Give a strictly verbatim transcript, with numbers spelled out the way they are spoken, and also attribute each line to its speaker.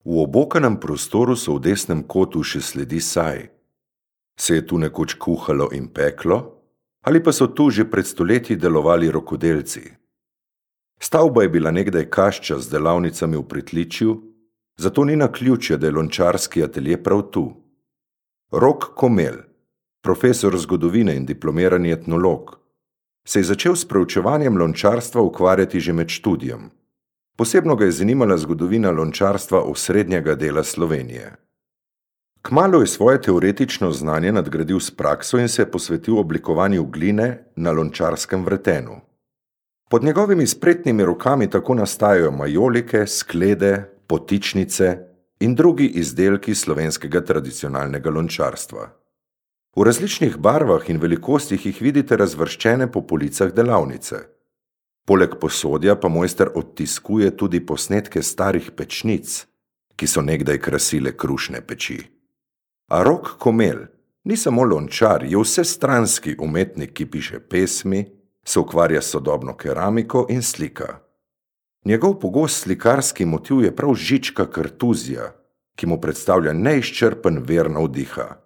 Speaker 1: V obokanem prostoru so v desnem kotu še sledi saj. Se je tu nekoč kuhalo in peklo, ali pa so tu že pred stoletji delovali rokodelci? Stavba je bila nekdaj kašča z delavnicami v pritličju, zato ni naključje, da je lončarski atelje prav tu. Rok Komel, profesor zgodovine in diplomirani etnolog, se je začel s preučevanjem lončarstva ukvarjati že med študijem. Posebno ga je zanimala zgodovina lončarstva osrednjega dela Slovenije. Kmalu je svoje teoretično znanje nadgradil s prakso in se je posvetil oblikovanju gline na lončarskem vretenu. Pod njegovimi spretnimi rokami tako nastajajo majolike, sklede, potičnice in drugi izdelki slovenskega tradicionalnega lončarstva. V različnih barvah in velikostih jih vidite razvrščene po policah delavnice. Poleg posodja pa mojster odtiskuje tudi posnetke starih pečnic, ki so nekdaj krasile krušne peči. A Rok Komel ni samo lončar, je vsestranski umetnik, ki piše pesmi, se ukvarja s sodobno keramiko in slika. Njegov pogost slikarski motiv je prav žička kartuzija, ki mu predstavlja neizčrpen vir navdiha.